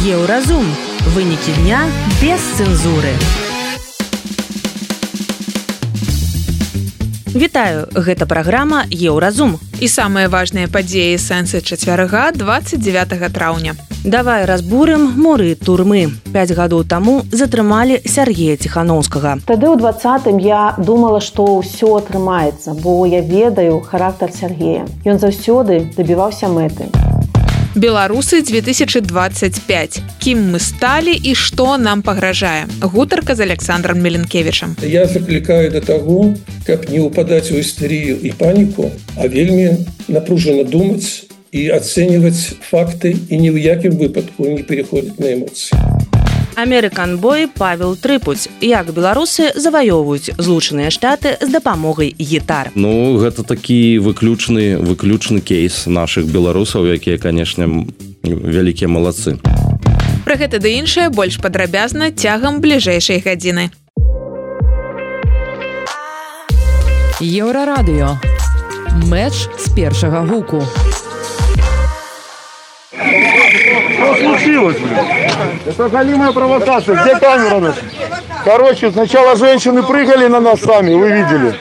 Еўразум. Вынікі дня без цэнзуры. Вітаю, гэта праграма Еўразум. І самыя важныя падзеі сэнсы чацвярга 29 траўня. Давай разбурым муры турмы. 5 гадоў таму затрымалі Сергея Ціханаўскага. Тады ў 20-м я думала, што ўсё атрымаецца, бо я ведаю характар Сергея. Ён заўсёды дабіваўся мэты. Беларусы 2025. Кім мы сталі і што нам пагражае? Гутарка з Александром Меленкевічам. Я заклікаю да таго, каб не ўпадаць у істэрыю і паніку, а вельмі напружана думаць і ацэньваць факты і ні ў якім выпадку не пераходзіць на эмоцыі. Амерыкан-бой Павел Трыпуць. Як беларусы заваёўваюць Злучаныя Штаты з дапамогай гітар. Гэта такі выключны кейс нашых беларусаў, якія, канешне, вялікія малацы. Пра гэта ды іншае больш падрабязна цягам бліжэйшай гадзіны. Еўрарадыё. Мэч з першага гуку. Что случилось, блин? Это голимая провокация. Где камера наша? Короче, сначала женщины прыгали на нас сами, вы видели.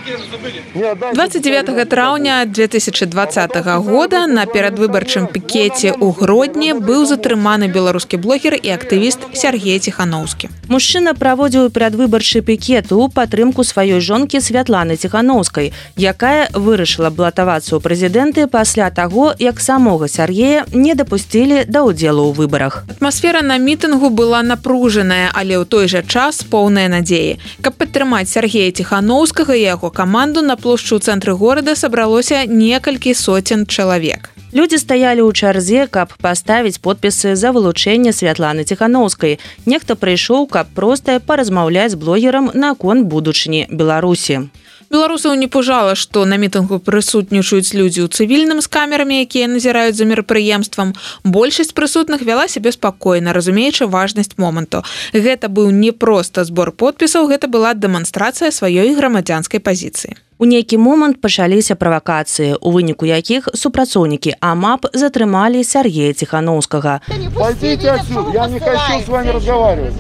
29 траўня 2020 года на перадвыбарчым пікеце ў Гродні быў затрыманы беларускі блогер і актывіст Сергей Ціханаўскі. Мужчына праводзіў перадвыбарчы пікет у падтрымку сваёй жонкі Святланы Ціханаўскай, якая вырашыла балатавацца ў прэзідэнты пасля таго, як самога Сергея не дапусцілі да ўдзелу ў выбарах. Атмасфера на мітынгу была напружаная, але ў той жа час поўная надзеі. Каб падтрымаць Сергея Ціханаўскага і яго каманду, на плошчу ў цэнтры горада сабралося некалькі соцень чалавек. Людзі стаялі ў чарзе, каб паставіць подпісы за вылучэнне Святланы Ціханаўскай. Нехта прыйшоў, каб проста паразмаўляць з блогерам наконт будучыні Беларусі. Беларусаў не пужала, што на мітынгу прысутнічаюць людзі ў цывільным з камерамі, якія назіраюць за мерапрыемствам. Большасць прысутных вяла сябе спакойна, разумеючы важнасць моманту. Гэта быў не проста збор подпісаў, гэта была дэманстрацыя сваёй грамадзянскай пазіцыі. У нейкі момант пачаліся правакацыі, у выніку якіх супрацоўнікі АМАП затрымалі Сергея Ціханаўскага. Пойдите отсюда, я не хочу с вами разговаривать.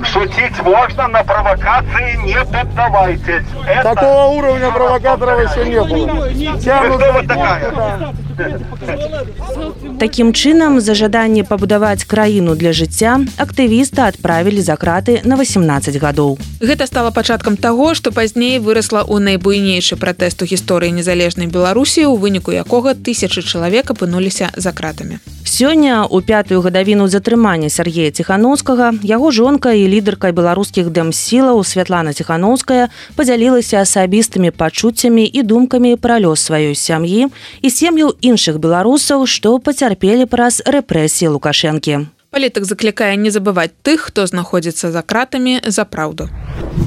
Шутить можно, на провокации не поддавайтесь. Такого уровня провокаторов еще не было. Кто вы такая? Такім чынам, за жаданне пабудаваць краіну для жыцця актывіста адправілі за краты на 18 гадоў. Гэта стала пачаткам таго, што пазней вырасла ў найбуйнейшы пратэст у гісторыі незалежнай Беларусі, у выніку якога тысячы чалавек апынуліся за кратамі. Сёння, у 5-ю гадавіну затрымання Сергея Ціханаўскага, яго жонка і лідарка беларускіх дэмсілаў Святлана Ціханаўская падзялілася асабістымі пачуццямі і думкамі пра лёс сваёй сям'і і сем'яў іншых беларусаў, што пацярпелі праз рэпрэсіі Лукашэнкі. Палітык заклікае не забываць тых, хто знаходзіцца за кратамі за праўду.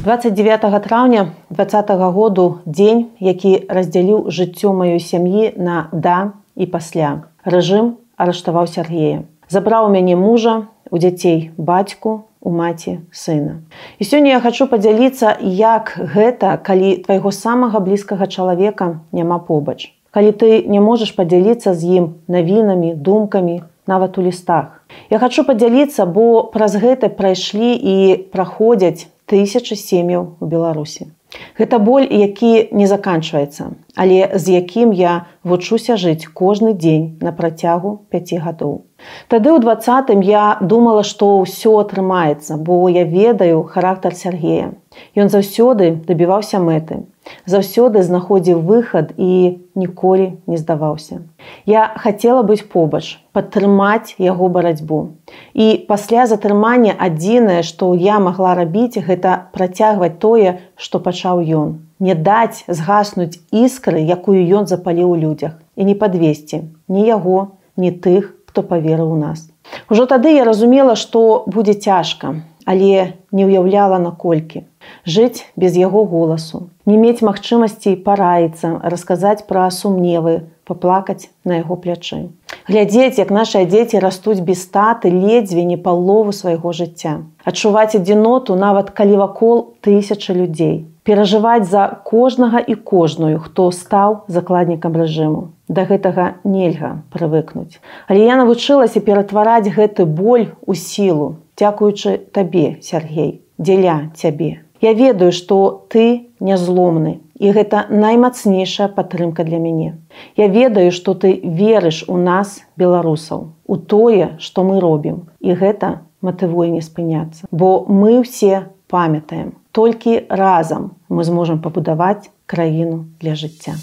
29 траўня 2020 году дзень, які раздзяліў жыццё маёй сям'і на да і пасля. Рэжым арыштаваў Сергея. Забраў у мяне мужа, у дзяцей бацьку, у маці сына. І сёння я хачу падзяліцца, як гэта, калі твайго самага блізкага чалавека няма побач. Калі ты не можаш падзяліцца з ім навінамі, думкамі, нават у лістах. Я хачу падзяліцца, бо праз гэта прайшлі і праходзяць тысячы сем'яў у Беларусі. Гэта боль, які не заканчваецца, але з якім я вучуся жыць кожны дзень на працягу 5 гадоў. Тады ў 20-м я думала, што ўсё атрымаецца, бо я ведаю характар Сергея. Ён заўсёды дабіваўся мэты, заўсёды знаходзіў выхад і ніколі не здаваўся. Я хацела быць побач, падтрымаць яго барацьбу. І пасля затрымання адзінае, што я магла рабіць, гэта працягваць тое, што пачаў ён. Не даць згаснуць іскры, якую ён запаліў у людзях. І не падвесці ні яго, ні тых, хто паверыў у нас. Ужо тады я разумела, што будзе цяжка, але не ўяўляла наколькі. Жыць без яго голасу, не мець магчымасці параіцца, расказаць пра сумневы, паплакаць на яго плячы. Глядзець, як нашыя дзеці растуць без таты ледзьве не палову свайго жыцця. Адчуваць адзіноту, нават калі вакол тысячы людзей. перажываць за кожнага і кожную, хто стаў закладнікам рэжыму. Да гэтага нельга прывыкнуць. Але я навучылася ператвараць гэты боль у сілу, дзякуючы табе, Сергей, дзеля цябе. Я ведаю, што ты нязломны, і гэта наймацнейшая падтрымка для мяне. Я ведаю, што ты верыш у нас, беларусаў, у тое, што мы робім, і гэта матывуе не спыняцца. Бо мы ўсе памятаем, толькі разам мы зможам пабудаваць краіну для жыцця.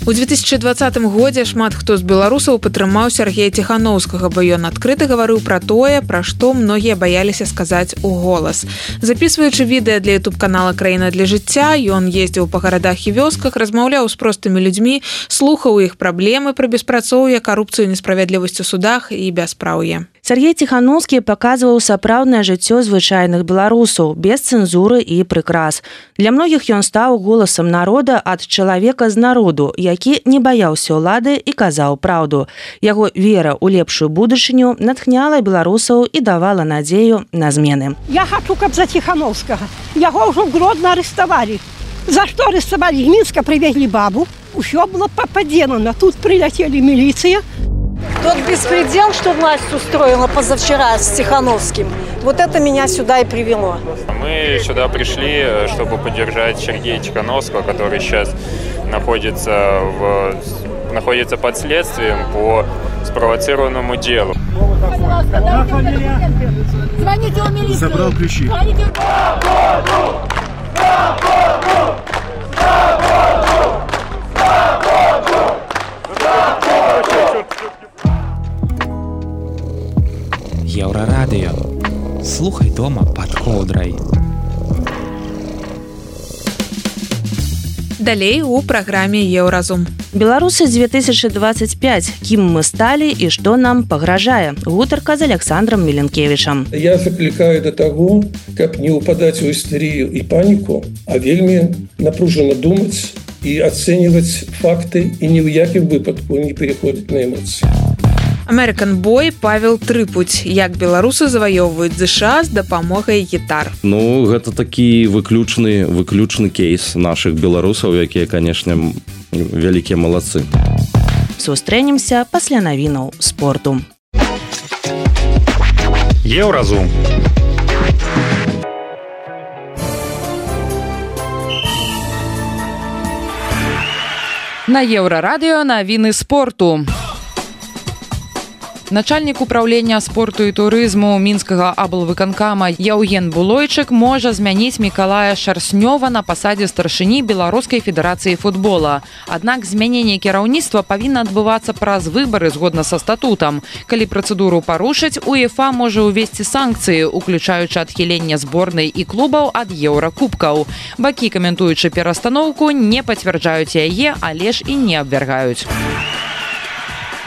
У 2020 годзе шмат хто з беларусаў падтрымаў Сергея Ціханаўскага, бо ён адкрыта гаварыў пра тое, пра што многія баяліся сказаць у голас. Запісваючы відэа для YouTube-канала «Краіна для жыцця», ён ездзіў па гарадах і вёсках, размаўляў з простымі людзьмі, слухаў іх праблемы пра беспрацоўе, карупцыю, несправядлівасць у судах і бяспраўе. Сергей Ціханаўскі паказваў сапраўднае жыццё звычайных беларусаў, без цэнзуры і прыкрас. Для многіх ён стаў голасам народа ад чалавека з народу, які не баяўся ўлады і казаў праўду. Яго вера ў лепшую будучыню натхняла беларусаў і давала надзею на змены. Я хочу, каб за Ціханаўскага. Яго ўжо Гродно арыштавалі. За што арыштавалі? З Мінска прывезлі бабу. Усё было падзелана. Тут прилетели милиция. Тот беспредел, что власть устроила позавчера с Тихановским, вот это меня сюда и привело. Мы сюда пришли, чтобы поддержать Сергея Тихановского, который сейчас находится под следствием по спровоцированному делу. Звоните в милицию. Забрал ключи. Еўрарадыё. Слухай дома пад коўдрай. Далей у праграме «Еўразум». Беларусы 2025. Кім мы сталі і што нам пагражае? Гутарка з Александром Міленкевічам. Я заклікаю до таго, каб не ўпадаць у істэрыю і паніку, а вельмі напружана думаць і ацэньваць факты і ні ў якім выпадку не пераходзіць на эмоцыі. American Boy Павел Трыпуць. Як беларусы заваёўваюць ЗША з дапамогай гітар. Ну, гэта такі выключны кейс нашых беларусаў, якія, канешне, вялікія малацы. Сустрэнемся пасля навінаў спорту. Еўразум. На Еўрарадыё навіны спорту. Начальнік управлення спорту і турызму мінскага аблвыканкама Яўген Булойчык можа змяніць Мікалая Шарснёва на пасадзе старшыні Беларускай федэрацыі футбола. Аднак змяненне кіраўніцтва павінна адбывацца праз выбары згодна са статутам. Калі працэдуру парушыць, УЕФА можа ўвесці санкцыі, уключаючы адхіленне зборнай і клубаў ад еўракубкаў. Бакі, каментуючы перастаноўку, не пацвярджаюць яе, але ж і не абвяргаюць.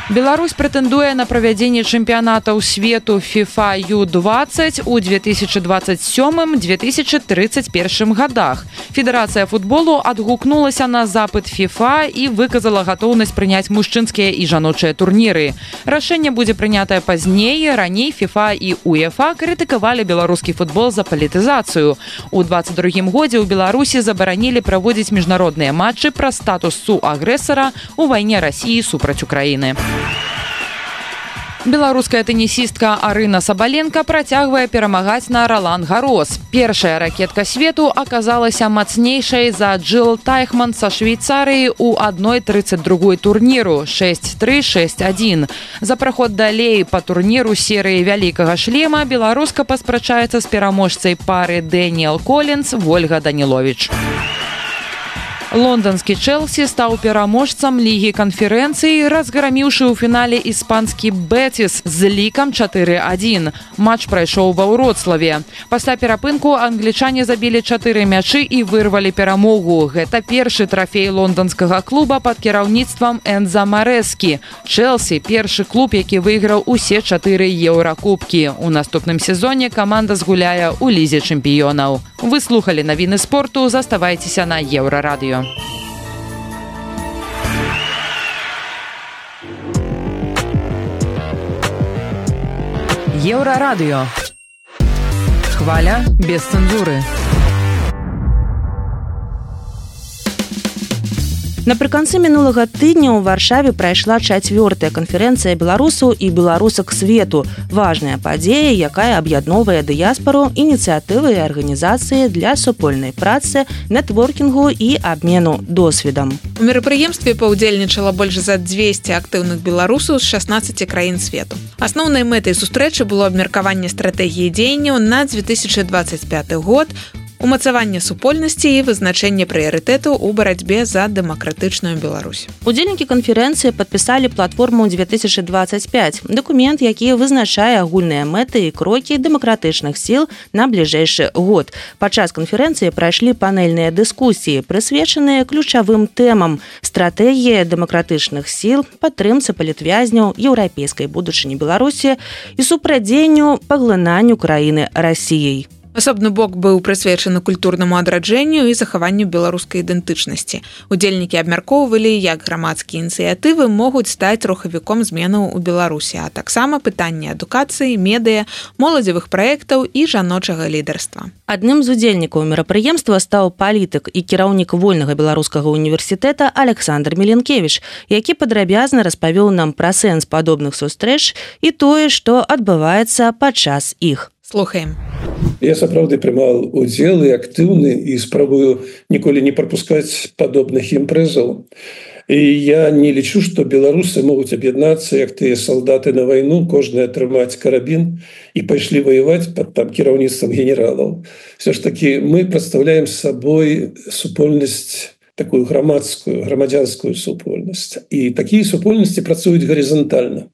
Беларусь прэтэндуе на правядзенне чэмпіянатаў свету FIFA U20 у 2027-2031 годах. Федэрацыя футболу адгукнулася на запыт FIFA і выказала гатоўнасць прыняць мужчынскія і жаночыя турніры. Рашэнне будзе прынятае пазней. Раней FIFA і УЕФА крытыкавалі беларускі футбол за палітызацыю. У 2022 годзе ў Беларусі забаранілі праводзіць міжнародныя матчы пра статус суагрэсара ў вайне Расіі супраць Украіны. Беларуская тэнісістка Арына Сабаленка працягвае перамагаць на Ролан-Гарос. Першая ракетка свету аказалася мацнейшай за Джилл Тайхман са Швейцарыі ў 1:32 турніру 6-3, 6-1. За праход далей па турніру серыі вялікага шлема беларуска паспрачаецца з пераможцай пары Дэніэл Колінс Вольга Даніловіч. Лондонскі Чэлсі стаў пераможцам Лігі канферэнцыі, разграміўшы ў фінале іспанскі Бетіс з лікам 4-1. Матч прайшоў ва Вроцлаве. Пасля перапынку англічане забілі 4 мячы і вырвалі перамогу. Гэта першы трафей лонданскага клуба пад кіраўніцтвам Энза Марэскі. Чэлсі – першы клуб, які выйграў усе 4 еўракубкі. У наступным сезоне каманда згуляе ў Лізе чэмпіёнаў. Вы слухалі навіны спорту, заставайцеся на Еўрарадыё. Еўрарадыё. Хваля без цэнзуры. Напрыканцы мінулага тыдня ў Варшаве прайшла 4-я канферэнцыя беларусаў і беларусак свету. Важная падзея, якая аб'ядноўвае дыяспару, ініцыятывы і арганізацыі для супольнай працы, нетворкінгу і абмену досведам. У мерапрыемстве паўдзельнічала больш за 200 актыўных беларусаў з 16 краін свету. Асноўнай мэтай сустрэчы было абмеркаванне стратэгіі дзеянняў на 2025 год, умацаванне супольнасці і вызначэнне прыярытэтаў у барацьбе за дэмакратычную Беларусь. Удзельнікі канферэнцыі падпісалі платформу 2025, дакумент, які вызначае агульныя мэты і крокі дэмакратычных сіл на бліжэйшы год. Падчас канферэнцыі прайшлі панельныя дыскусіі, прысвечаныя ключавым тэмам: стратэгія дэмакратычных сіл, падтрымцы палітвязняў, еўрапейскай будучыні Беларусі і супрадзенню паглынанню краіны Расіяй. Асобны бок быў прысвечаны культурнаму адраджэнню і захаванню беларускай ідэнтычнасці. Удзельнікі абмяркоўвалі, як грамадскія ініцыятывы могуць стаць рухавіком зменаў у Беларусі, а таксама пытанні адукацыі, медыа, моладзевых праектаў і жаночага лідарства. Адным з удзельнікаў мерапрыемства стаў палітык і кіраўнік Вольнага беларускага універсітэта Александр Меленкевіч, які падрабязна распавёў нам пра сэнс падобных сустрэч і тое, што адбываецца падчас іх. Слухаем. Я сапраўды прымаў удзел і актыўны і спрабую ніколі не прапускаць падобных імпрэзаў. І я не лічу, што беларусы могуць аб'яднацца, як тыя салдаты на вайну, кожны атрымаць карабін і пайшлі ваяваць пад там кіраўніцтвам генералаў. Все ж таки мы прадстаўляем сабой супольнасць, такую грамадзянскую супольнасць. І такія супольнасці працуюць гарызантальна.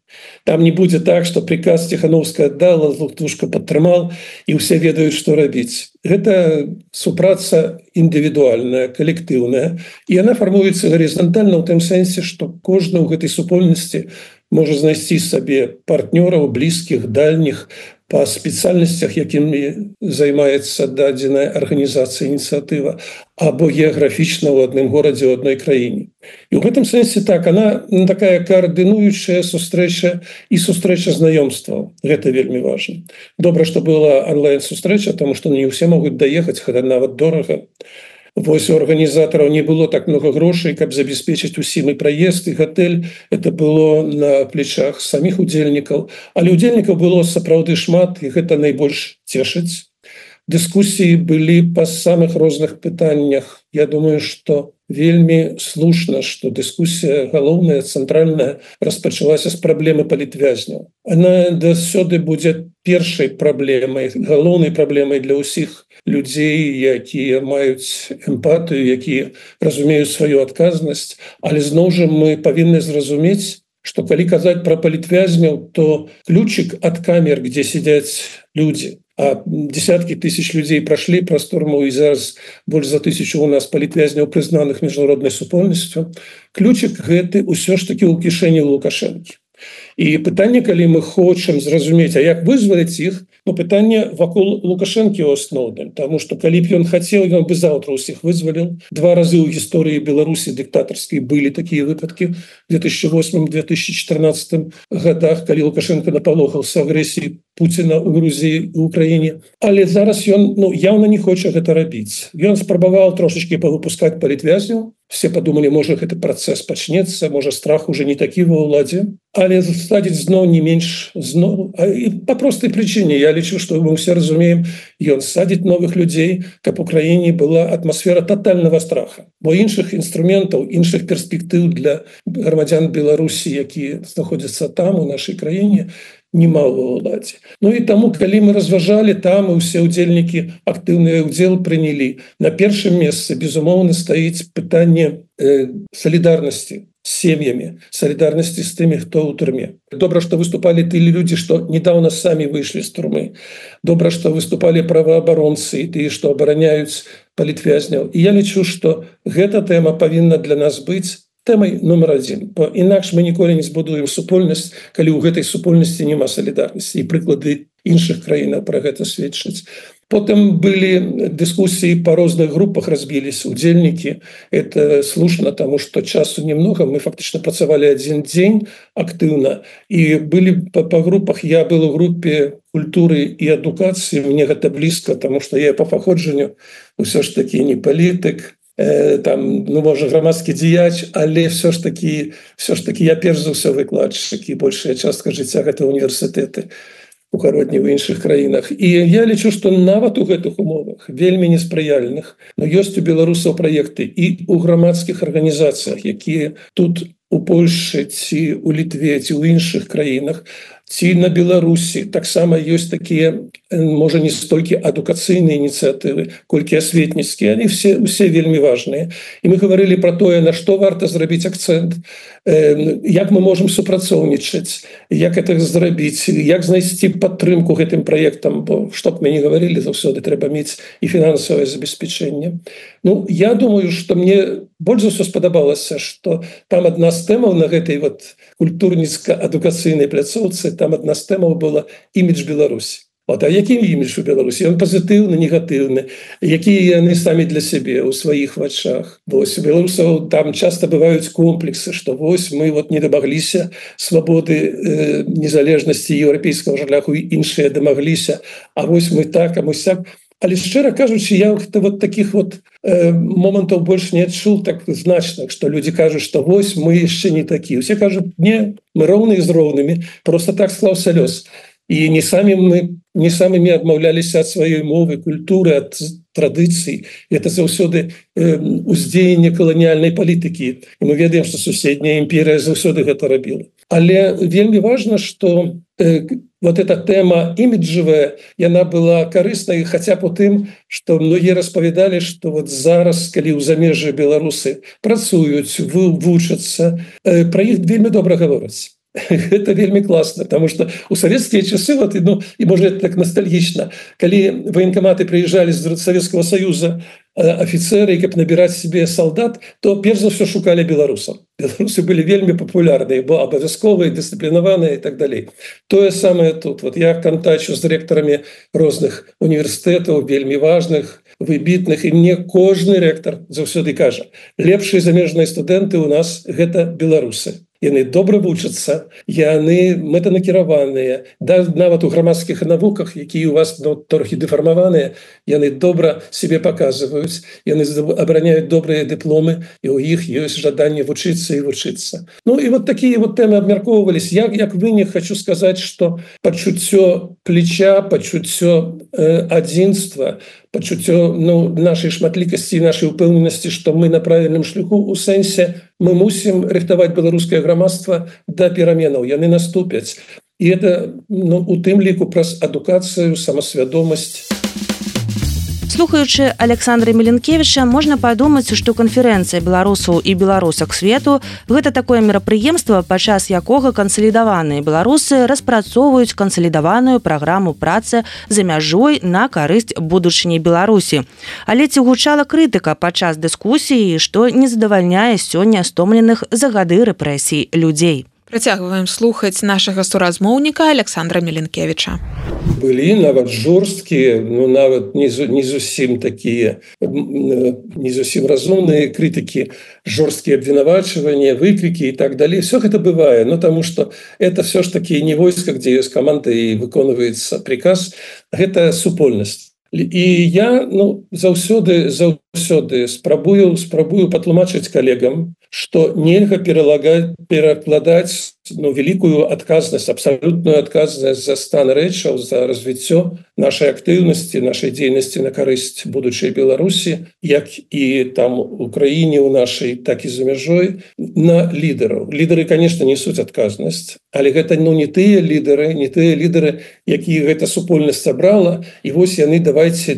Там не будзе так, што приказ Ціхановская аддала, Лухтушка падтрымал, і ўсе ведаюць, што рабіць. Гэта супраца індывідуальная, калектыўная, і яна фармуецца гарызантальна ў тым сэнсе, што кожны ў гэтай супольнасці можа знайсці сабе партнёраў, блізкіх, дальніх, па спецыяльнасцях, якімі займаецца дадзеная арганізацыя, ініцыятыва, або геаграфічна ў адным горадзе, ў адной краіне. І ў гэтым сэнсе так, она такая каардынуючая сустрэча і сустрэча знаёмстваў. Гэта вельмі важна. Добра, што была онлайн-сустрэча, таму што не ўсе могуць даехаць, гэта нават дорага. Вось у арганізатараў не было так много грошай, каб забяспечыць усім і праезд, і гатэль. Это было на плечах саміх удзельнікаў. Але удзельнікаў было сапраўды шмат, і гэта найбольш цешыць. Дыскусіі былі па самых розных пытаннях. Я думаю, што вельмі слушна, што дыскусія галоўная, цэнтральная распачалася з праблемы палітвязняў. Она дасюды будзе першай праблемай, галоўнай праблемай для ўсіх людзей, якія маюць эмпатыю, якія разумеюць сваю адказнасць. Але зноў жа мы павінны зразумець, што калі казаць пра палітвязняў, то ключик ад камер, где сидяць людзі, а десяткі тысяч людзей прашлі праз турму, і зараз больш за 1000 у нас палітвязняў, прызнаных міжнароднай супольнасцю. Ключик гэты ўсё ж таки ў кішэні Лукашэнкі. І пытанне, калі мы хочам зразумець, а як вызваліць іх, пытанне вакол Лукашэнкі ў асноўным, таму што калі б ён хацеў, ён бы заўтра ўсіх вызваліў. 2 разы ў гісторыі Беларусі дыктатарскай былі такія выпадкі в 2008-2014 годах, калі Лукашенко напалохаўся агрэсіі Пуціна ў Грузіі, у Украіне. Але зараз ён яўна не хоча гэта рабіць. Ён спрабаваў трошачкі павыпускаць палітвязняў. Все подумали, можа гэты працэс пачнецца, можа страх уже не такі ва ўладзе, але садзіць зноў не менш зноў. І па простай прычыне, я лічу, што мы ўсе разумеем, ён садзіць новых людзей, каб у краіне была атмасфера тотальнага страха. Бо іншых інструментаў, іншых перспектыў для грамадзян Беларусі, якія знаходзяцца там, у нашай краіне, нема ва ўладзе. І таму, калі мы разважалі, там і ўсе ўдзельнікі актыўны ўдзел прынялі. На першым месцы, безумоўна, стаіць пытанне салідарнасці з сем'ямі, салідарнасці з тымі, хто ў турме. Добра, што выступалі тыя людзі, што недаўна самі выйшлі з турмы. Добра, што выступалі праваабаронцы і тыя, што абараняюць палітвязняў. І я лічу, што гэта тэма павінна для нас быць тэмай номер 1. Бо інакш мы ніколі не збудуем супольнасць, калі ў гэтай супольнасці няма салідарнасці. І прыклады іншых краінаў пра гэта сведчаць. Потым былі дыскусіі па розных групах, разбіліся удзельнікі. Это слушна, таму што часу немного. Мы фактычна працавалі 1 дзень актыўна. І былі па групах. Я был у групе культуры і адукацыі. Мне гэта блізка, таму што я па паходжанню ўсё ж такі не палітык. там, ну, можа грамадскі дзеяч, але все ж таки я перш за ўсё выкладчык, і большая частка жыцця гэта універсітэты у гародні ў іншых краінах. І я лічу, што нават у гэтых умовах вельмі неспрыяльных, но ёсць у беларусаў праекты і ў грамадскіх арганізацыях, якія тут у Польшы ці у Літве ці ў іншых краінах ці на Беларусі таксама ёсць такія, можа, не столькі адукацыйныя ініцыятывы, колькі асветніцкія, они все вельмі важныя. І мы гаварылі пра тое, на што варта зрабіць акцэнт, як мы можам супрацоўнічаць, як это зрабіць, як знайсці падтрымку гэтым праектам, бо што б мы не гаварылі, заўсёды трэба мець і фінансавае забеспячэнне. Ну, я думаю, што мне больш за ўсё спадабалася, што там адна з тэмаў на гэтай вот культурніцка-адукацыйнай пляцоўцы, там адна з тэмаў была імідж Беларусі. А які імідж у Беларусі? Ён пазітыўны, негатыўны, якія яны самі для сябе ў сваіх вачах. Вось у беларусаў там часта бываюць комплексы, што вось мы вот не дамагліся свабоды, незалежнасці еўрапейскага шляху, і іншыя дамагліся, а вось мы так, а мы сяк. Але шчыра кажучы, я вот таких вот момантаў больш не адчуў так значных, што людзі кажуць, што вось мы яшчэ не такі. Усе кажуць, не, мы роўныя з роўнымі, просто так склаўся лёс. І не самымі адмаўляліся ад сваёй мовы, культуры, ад традыцый. Это заўсёды уздзеянне каланіяльнай палітыкі. І мы ведаем, што суседняя імперія заўсёды гэта рабіла. Але вельмі важна, што вот эта тэма іміджавая, яна была карыснай, хаця б у тым, што многія распавядалі, што вот зараз, калі ў замежжы беларусы працуюць, вучацца, пра іх вельмі добра гавораць. Это вельмі класна, потому что у савецкія часы, вот, ну, і можа так ностальгічна, калі военкоматы прыязджалі з Савецкага Саюза офіцеры, каб набіраць себе солдат, то перш за ўсё шукалі беларусаў. Беларусы былі вельмі папулярныя, бо абавязковыя, дысцыплінаваныя і так далей. Тое самае тут. Вот я кантачу з рэктарамі розных універсітэтаў, вельмі важных, выбітных, і мне кожны рэктар заўсёды кажа: лепшыя замежныя студэнты у нас гэта беларусы. Яны добра вучацца, яны мэтанакіраваныя, нават у грамадскіх навуках, якія у вас трохі дэфармаваныя, яны добра себе паказваюць, яны абараняюць добрыя дыпломы, і ў іх ёсць жаданне вучыцца і вучыцца. Ну і вот такія вот тэмы абмяркоўвались. Я, як вынік, хочу сказаць, што пачуццё плеча, пачуццё адзінства, пачуццё нашай шматлікасці і нашай упэўненасці, што мы на правільным шляху, у сэнсе мы мусім рыхтаваць беларускае грамадства да пераменаў, яны наступяць. І это у тым ліку праз адукацыю, самасвядомасць. Слухаючы Александра Меленкевіча, можна падумаць, што канферэнцыя беларусаў і беларусак свету – гэта такое мерапрыемства, падчас якога кансалідаваныя беларусы распрацоўваюць кансалідаваную праграму працы за мяжой на карысць будучыні Беларусі. Але ці гучала крытыка падчас дыскусіі, што не задавальняе сёння стомленых за гады рэпрэсій людзей? Працягваем слухаць нашага суразмоўніка Александра Меленкевіча. Былі нават жорсткія, нават не зусім такія, не зусім разумныя крытыкі, жорсткія абвінавачванні, выкрыкі і так далей. Все гэта бывае, таму што это все ж таки не войска, дзе ёсць каманда і выконваецца приказ, гэта супольнасць. І я заўсёды спрабую патлумачыць калегам, што нельга перакладаць вялікую адказнасць, абсалютную адказнасць за стан рэчаў, за развіццё нашай актыўнасці, нашай дзейнасці на карысць будучай Беларусі, як і там у краіне у нашай, так і за мяжой, на лідараў. Лідары, конечно, несуць адказнасць, але гэта не тыя лідары, якія гэта супольнасць сабрала, і вось яны давайце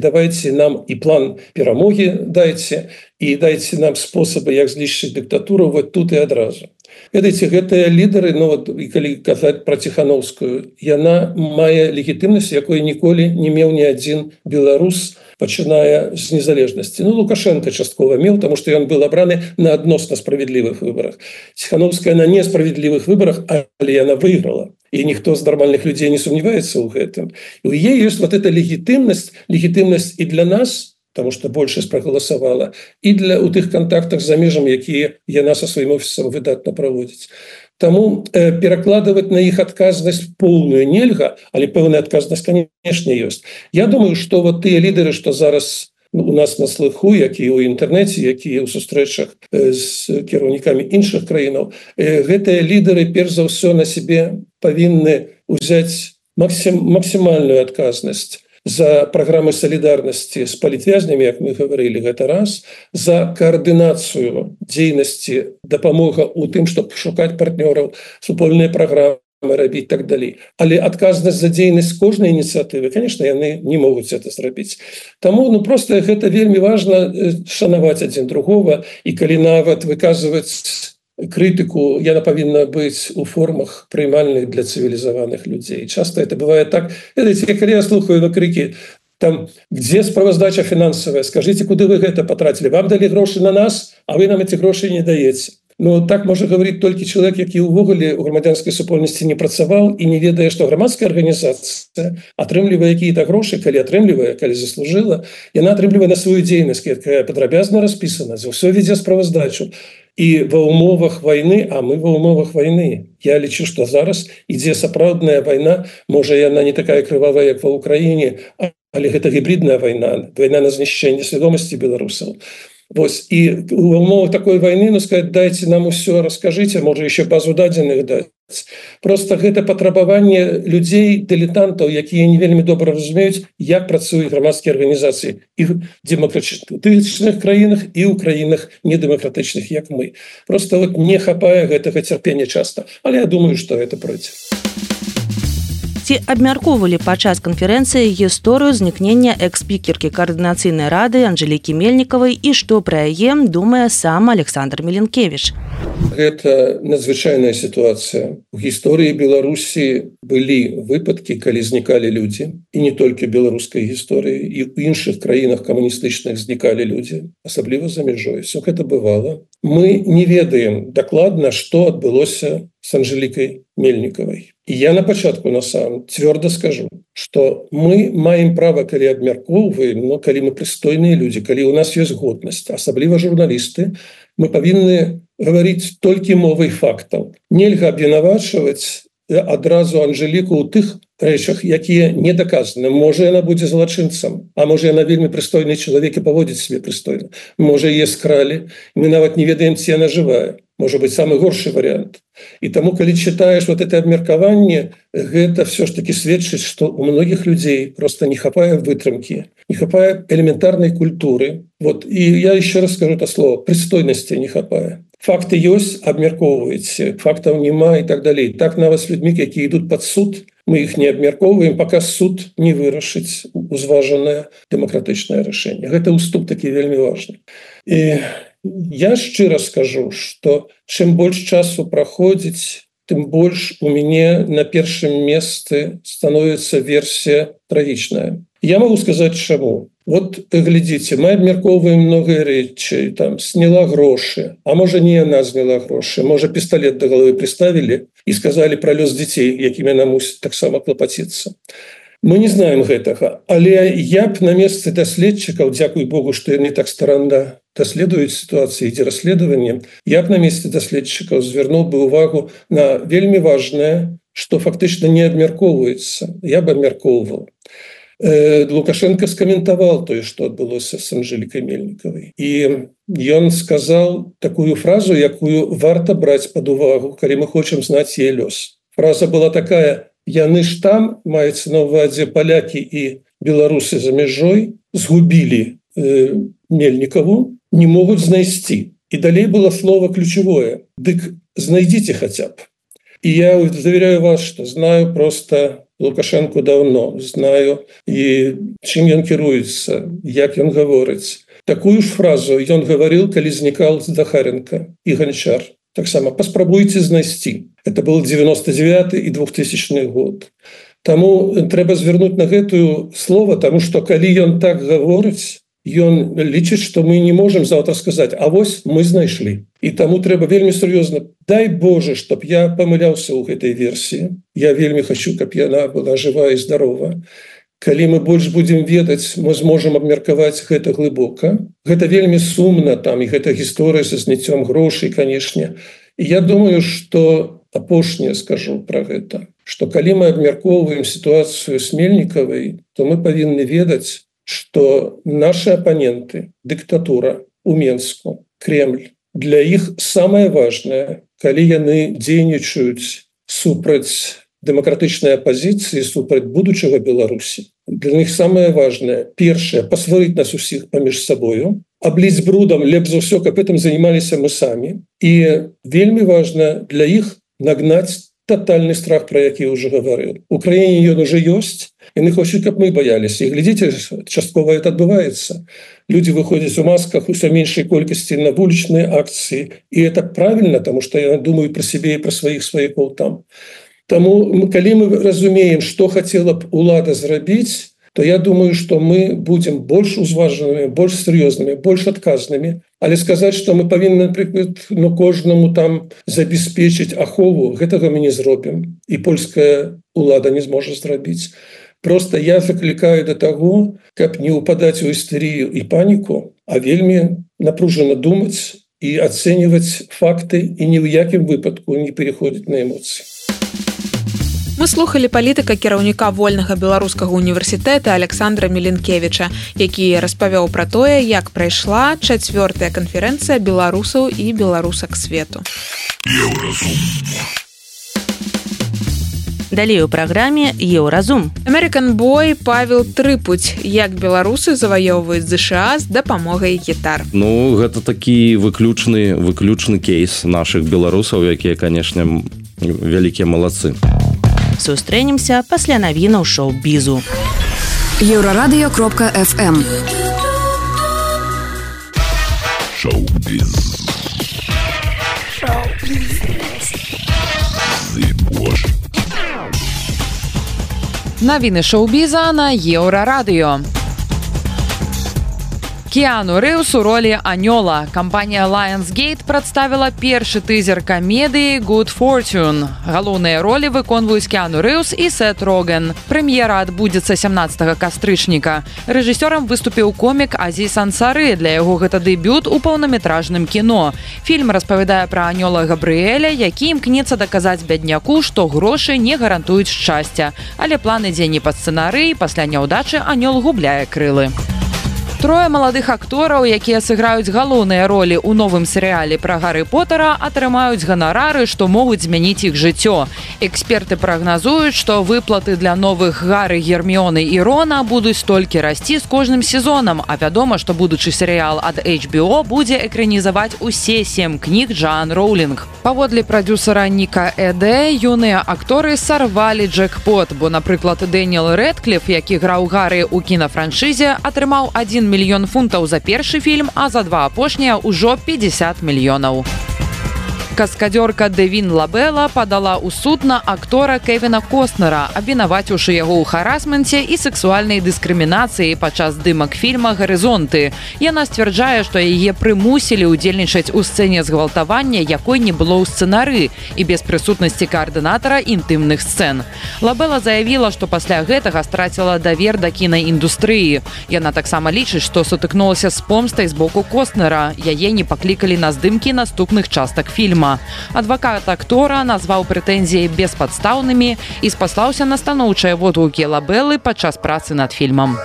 нам і план перамогі дайце, і дайце нам спосабы, як знішчыць дыктатуру вот тут і адразу. Ведаеце, гэтыя лідары, і калі казаць пра Ціхановскую, яна мае легітымнасць, якой ніколі не меў ні адзін беларус, пачыная з незалежнасці. Лукашенко часткова меў, таму што ён быў абраны на адносна справядлівых выбарах. Ціхановская на несправядлівых выбарах, але яна выйграла. І ніхто з нармальных людзей не сумняваецца ў гэтым. І ў яе ёсць вот эта легітымнасць і для нас, потому что большасць прагаласавала, і у тых кантактах за межам, якія яна са сваім офісам выдатна праводзіць. Таму перакладываць на іх адказнасць поўную нельга, але пэўная адказнасць, канешне, ёсць. Я думаю, што вот тыя лідары, што зараз у нас на слыху, якія ў інтэрнэце, якія ў сустрэчах з кіраўнікамі іншых краінаў, гэтыя лідары перш за ўсё на сябе павінны ўзяць максімальную адказнасць за праграмы салідарнасці з палітвязнямі, як мы гаварылі гэта раз, за каардынацыю дзейнасці, дапамога ў тым, чтобы шукаць партнёраў, супольныя праграмы рабіць так далей. Але адказнасць за дзейнасць кожнай ініцыятывы, конечно, яны не могуць это зрабіць. Таму просто гэта вельмі важна шанаваць адзін другого, і калі нават выказваць критику, яна павінна быць у формах приймальных для цивилизованных людей. Часто это бывает так. Видите, когда я слухаю на крики, там, где справаздача финансовая, скажите, куда вы это потратили? Вам дали гроши на нас, а вы нам эти гроши не даете. Ну, так можа говорить толькі чалавек, які ўвогуле у грамадзянскай супольнасці не працаваў і не ведае, што грамадская арганізацыя атрымлівае якія-то грошы, калі атрымлівае, калі заслужыла, яна атрымлівае на сваю дзейнасць, якая падрабязна распісана, за ўсё вядзе справаздачу. І ва ўмовах вайны, а мы ва ўмовах вайны. Я лічу, што зараз ідзе сапраўдная вайна, можа яна не такая крывавая, як ва Ўкраіне, але гэта гібридная вайна, вайна на знішчэнне свядомасці беларусаў. Вось, і у умовах такой войны, ну, сказать, дайте нам усё, расскажите, может, еще базу дадзеных дать. Просто гэта патрабаванне людзей, дылетантаў, якія не вельмі добра разумеюць, як працуюць грамадскія арганізацыі і в дэмакратычных краінах, і ў краінах недэмакратычных, як мы. Просто вот не хапае гэтага цярпення часта. Але я думаю, што гэта пройдзе. Ці абмяркоўвалі падчас канферэнцыі гісторыю знікнення экс-спікеркі каардынацыйнай рады Анжэлікі Мельнікавай і што пра яе думае сам Александр Меленкевіч. Гэта надзвычайная сітуацыя. У гісторыі Беларусі былі выпадкі, калі знікалі людзі, і не толькі беларускай гісторыі, і ў іншых краінах камуністычных знікалі людзі, асабліва за мяжой. Всё гэта бывала. Мы не ведаем дакладна, што адбылося с Анжеликой Мельниковой. И я на початку на самом твердо скажу, что мы маем право, коли обмяркоўваем, но коли мы пристойные люди, коли у нас есть годность, особливо журналисты, мы повинны говорить только мовой фактов. Нельга обвинавачивать адразу Анжеліку ў тых рэчах, якія не даказаны. Можа, яна будзе злачынцам, а можа, яна вельмі прыстойны чалавек і паводзіць себе прыстойна. Можа, яе скралі, мы нават не ведаем, ці яна жывая. Можа быць, самы горшы варыянт. І таму, калі чытаеш вот это абмеркаванне, гэта все ж таки сведчыць, што у многіх людзей просто не хапае вытрымкі, не хапае элементарнай культуры. Вот, і я еще раз скажу это слово, прыстойнасці не хапае. Факты ёсць, абмяркоўваеце, фактаў няма і так далей. Так нават з людзьмі, якія ідуць пад суд, мы іх не абмяркоўваем, пока суд не вырашыць узважанае дэмакратычнае рашэнне. Гэта уступ такі вельмі важны. І я шчыра скажу, што чым больш часу праходзіць, тым больш у мяне на першым месцы становіцца версія трагічная. Я могу сказаць, чаму. Вот глядзіце, мы абмяркоўваем многія рэчы, там сняла грошы, а можа не яна зняла грошы, можа пісталет да галавы прыставілі і сказалі пра лёс дзяцей, якімі яна мусіць таксама клапаціцца. Мы не знаем гэтага, але я б на месцы даследчыкаў, дзякуй Богу, што яны так старанна даследуюць сітуацыі, ідзе расследаванне, я б на месцы даследчыкаў звярнуў бы увагу на вельмі важнае, што фактычна не абмяркоўваецца. Я б абмяркоўваў. Лукашенко скаментаваў тое, што адбылося з Анжелікай Мельнікавай. І ён сказаў такую фразу, якую варта браць пад увагу, калі мы хочам знаць яе лёс. Фраза была такая: яны ж там, маецца на ўвазе палякі і беларусы за мяжой, згубілі Мельнікаву, не могуць знайсці. І далей было слово ключевое: дык знайдзіце хаця б. И я заверяю вас, что знаю просто Лукашенко давно, знаю и чым ён кіруецца, як ён гаворыць. Такую ж фразу ён гаварыў, калі знікал Захаренко і Ганчар. Таксама паспрабуйце знайсці. Это был 99 і 2000 год. Таму трэба звярнуць на гэтую слово, таму што калі ён так гаворыць, ён лічыць, што мы не можам заўтра сказаць: а вось мы знайшлі. І таму трэба вельмі сур'ёзна. Дай Боже, чтоб я памыляўся ў гэтай версіі. Я вельмі хочу, каб яна была жива і здарова. Калі мы больш будзем ведаць, мы зможам абмеркаваць гэта глыбока. Гэта вельмі сумна, там, і гэта гісторыя са зняццём грошай, канешне. І я думаю, што апошняе скажу пра гэта, што калі мы абмяркоўваем сітуацыю з Мельнікавай, то мы павінны ведаць, что наши оппоненты, диктатура у Менску, Кремль, для іх самае важнае, калі яны дзейнічаюць супраць дэмакратычнай апазіцыі, супраць будучага Беларусі. Для них самае важнае, першае, пасварыць нас усіх паміж сабою, абліць брудам, лепш за ўсё, каб гэтым занималіся мы самі. І вельмі важна для іх нагнаць тотальный страх, про які я уже говорил. В Украине он уже есть, и мы хочем, как мы боялись. И глядите, частково это отбывается. Люди выходят в масках, все меньшей колькости на уличные акции. И это правильно, потому что я думаю про себя и про своих свояков там. Тому, коли мы разумеем, что хотела б улада зрабіць, то я думаю, что мы будем больше узваженными, больше серьезными, больше отказными. Але сказать, что мы повинны, например, кожному там забеспечить ахову, гэтага мы не зробім. И польская улада не зможет зрабіць. Просто я закликаю до того, каб не упадать в истерию и панику, а вельми напруженно думать и оценивать факты, и ни в якім выпадку не переходить на эмоции. Мы слухали палітыка кіраўніка вольнага беларускага універсітэта Александра Меленкевіча, які распавёў пра тое, як прайшла 4-я канферэнцыя беларусаў і беларусак свету. Далей у праграме «Еўразум». American Boy Павел Трыпуць, як беларусы заваёўваюць ЗША з дапамогай гітар. Ну, гэта такі выключны кейс нашых беларусаў, якія, канешне, вялікія малацы. Сустрэнемся пасля навінаў шоу-бізу. Еврорадио.fm Шоу-біз. Навіны шоу-біза на Еўрарадыё. Кіану Рэйвс у ролі Анёла. Кампанія Lionsgate прадставіла першы тызер камедыі Good Fortune. Галоўныя ролі выконваюць Кіану Рэйвс і Сет Роген. Прэм'ера адбудзецца 17 кастрычніка. Рэжысёрам выступіў комік Азіз Ансары. Для яго гэта дэбют у паўнаметражным кіно. Фільм распавядае пра Анёла Габрыэля, які імкнецца даказаць бядняку, што грошы не гарантуюць шчасця. Але план ідзе не па сцэнарыі, пасля няўдачы Анёл губляе крылы. Трое маладых актораў, якія сыграюць галоўныя ролі ў новым серыяле пра Гарры Поттера, атрымаюць ганарары, што могуць змяніць іх жыццё. Эксперты прагназуюць, што выплаты для новых Гарры, Герміёны і Рона будуць толькі расці з кожным сезонам, а вядома, што будучы серыял ад HBO будзе экранізаваць усе 7 кніг Джоан Роулінг. Паводле прадюсера Ніка Эде, юныя акторы сарвалі джекпот, бо, напрыклад, Дэніел Рэдкліф, які граў Гарры ў кінафраншызе, атрымаў 1 мільён фунтаў за першы фільм, а за 2 апошнія ўжо 50 мільёнаў. Каскадёрка Дэвін Лабела падала ў суд на актора Кевіна Костнера, абвінаваціўшы яго ў харасменце і сексуальнай дыскрымінацыі падчас здымак фільма «Гарызонты». Яна сцвярджае, што яе прымусілі ўдзельнічаць у сцэне згвалтавання, якой не было ў сцэнары і без прысутнасці каардынатара інтымных сцэн. Лабела заявіла, што пасля гэтага страціла давер да кінаіндустрыі. Яна таксама лічыць, што сутыкнулася з помстай з боку Костнера. Яе не паклікалі на здымкі наступных частак фільма. Адвакат актора назваў прэтэнзіі беспадстаўнымі і спаслаўся на станоўчыя водгукі Лабелы падчас працы над фільмам.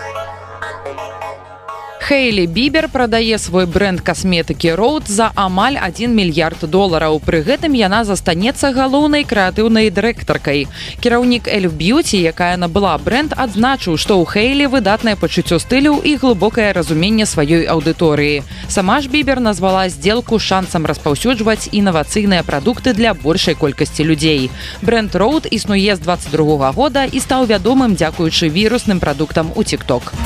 Хейлі Бібер прадае свой бренд касметыкі Роуд за амаль $1 мільярд. Пры гэтым яна застанецца галоўнай крэатыўнай дырэктаркай. Кіраўнік Эльф Б'юці, якая набыла бренд, адзначыў, што ў Хейлі выдатнае пачуццё стылю і глыбокае разуменне сваёй аўдыторыі. Сама ж Бібер назвала здзелку шансам распаўсюджваць інавацыйныя прадукты для большай колькасці людзей. Бренд Роуд існуе з 22 года і стаў вядомым дзякуючы вірусным прадуктам у TikTok.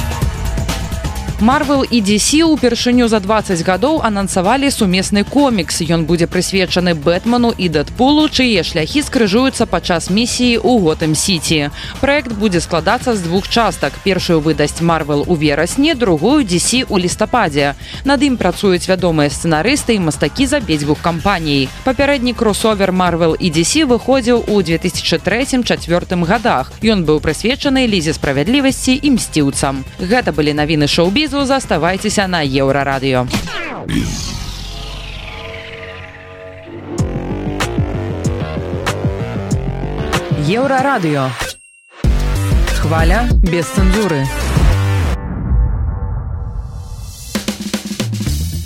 Marvel і DC упершыню за 20 гадоў анансавалі сумесны комікс. Ён будзе прысвечаны Бэтмену і Дэдпулу, чые шляхі скрыжуюцца падчас місіі ў Готэм-Сіці. Праект будзе складацца з 2 частак. Першую выдасць Marvel у верасні, другую DC у лістападзе. Над ім працуюць вядомыя сцэнарысты і мастакі з абедзвюх кампаній. Папярэдні кросовер Marvel і DC выходзіў у 2003-2004 годах. Ён быў прысвечаны Лізе справядлівасці і мсціўцам. Гэта былі навіны шоу-бізу. Заставайцеся на Еўрарадыё. Еўрарадыё. Хваля без цэнзуры.